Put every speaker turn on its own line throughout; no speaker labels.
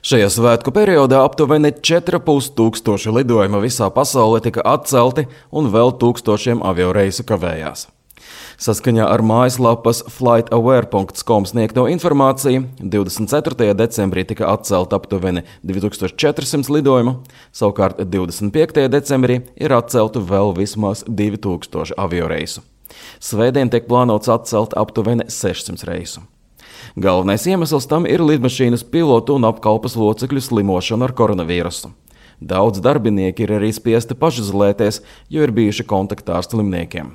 Šajā svētku periodā aptuveni 4,5 tūkstoši lidojuma visā pasaulē tika atcelti un vēl tūkstošiem avioreisu kavējās. Saskaņā ar mājaslapas flightaware.com sniegto informāciju 24. decembrī tika atcelta aptuveni 2400 lidojumu, savukārt 25. decembrī ir atcelta vēl vismaz 2000 avioreisu. Svētdien tiek plānots atcelt aptuveni 600 reisu. Galvenais iemesls tam ir lidmašīnas pilotu un apkalpes locekļu slimošana ar koronavīrusu. Daudz darbinieki ir arī spiesti pašizolēties, jo ir bijuši kontaktā ar slimniekiem.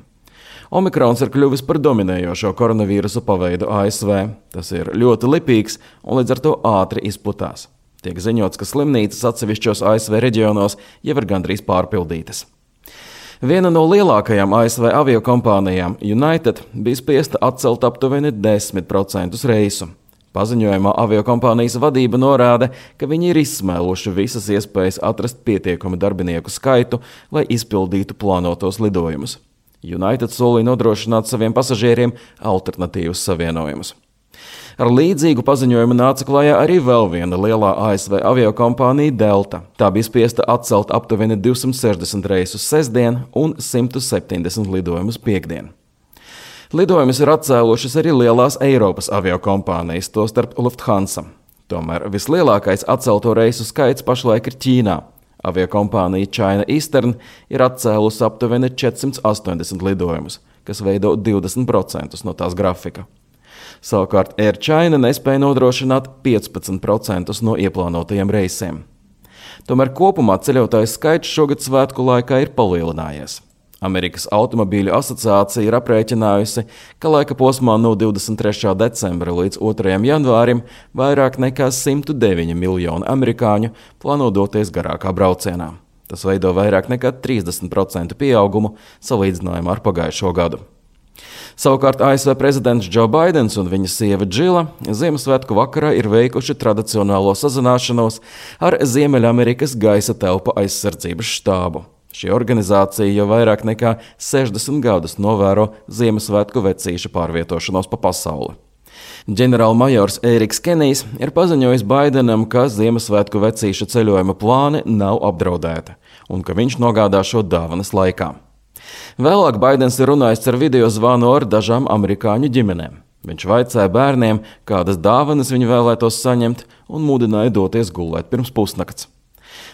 Omikrons ir kļuvis par dominējošo koronavīrusa paveidu ASV. Tas ir ļoti lipīgs un līdz ar to ātri izplatās. Tiek ziņots, ka slimnīcas atsevišķos ASV reģionos jau ir gandrīz pārpildītas. Viena no lielākajām ASV aviokompānijām, United, bija spiesta atcelt aptuveni 10% reisu. Paziņojumā aviokompānijas vadība norāda, ka viņi ir izsmēluši visas iespējas atrast pietiekamu darbinieku skaitu, lai izpildītu plānotos lidojumus. United solīja nodrošināt saviem pasažieriem alternatīvas savienojumus. Ar līdzīgu paziņojumu nāca klajā arī vēl viena lielā ASV aviokompānija Delta. Tā bija spiesta atcelt aptuveni 260 reisus sestdien un 170 lidojumus piektdien. Lidojumus ir atcēlušas arī lielās Eiropas aviokompānijas, tostarp Lufthansa. Tomēr vislielākais atcelto reisu skaits pašlaik ir Ķīnā. Aviokompānija China Eastern ir atcēlusi aptuveni 480 lidojumus, kas veido 20% no tās grafika. Savukārt Air China nespēja nodrošināt 15% no ieplānotajiem reisiem. Tomēr kopumā ceļotāju skaits šogad svētku laikā ir palielinājies. Amerikas automobīļu asociācija ir aprēķinājusi, ka laika posmā no 23. decembra līdz 2. janvārim vairāk nekā 109 miljoni amerikāņu plāno doties garākā braucienā. Tas veido vairāk nekā 30% pieaugumu salīdzinājumā ar pagājušo gadu. Savukārt ASV prezidents Joe Baidens un viņa sieva Džila Ziemassvētku vakarā ir veikuši tradicionālo sazināšanos ar Ziemeļamerikas gaisa telpu aizsardzības štābu. Šī organizācija jau vairāk nekā 60 gadus novēro Ziemassvētku vecīšu pārvietošanos pa pasauli. Ģenerālmajors Eriks Kenijs ir paziņojis Baidenam, ka Ziemassvētku vecīšu ceļojuma plāni nav apdraudēti un ka viņš nogādā šo dāvanas laikā. Vēlāk Baidens ir runājis ar video zvanu ar dažām amerikāņu ģimenēm. Viņš vaicāja bērniem, kādas dāvanas viņi vēlētos saņemt un mudināja doties gulēt pirms pusnakts.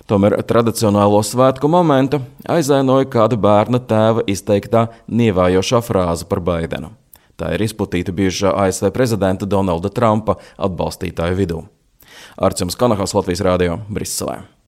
Tomēr tradicionālo svētku momentu aizainoja kāda bērna tēva izteiktā nievājošā frāze par Baidenu. Tā ir izplatīta bijušā ASV prezidenta Donalda Trumpa atbalstītāju vidū. Arčuns Kanahals, Latvijas Rādio, Briselē.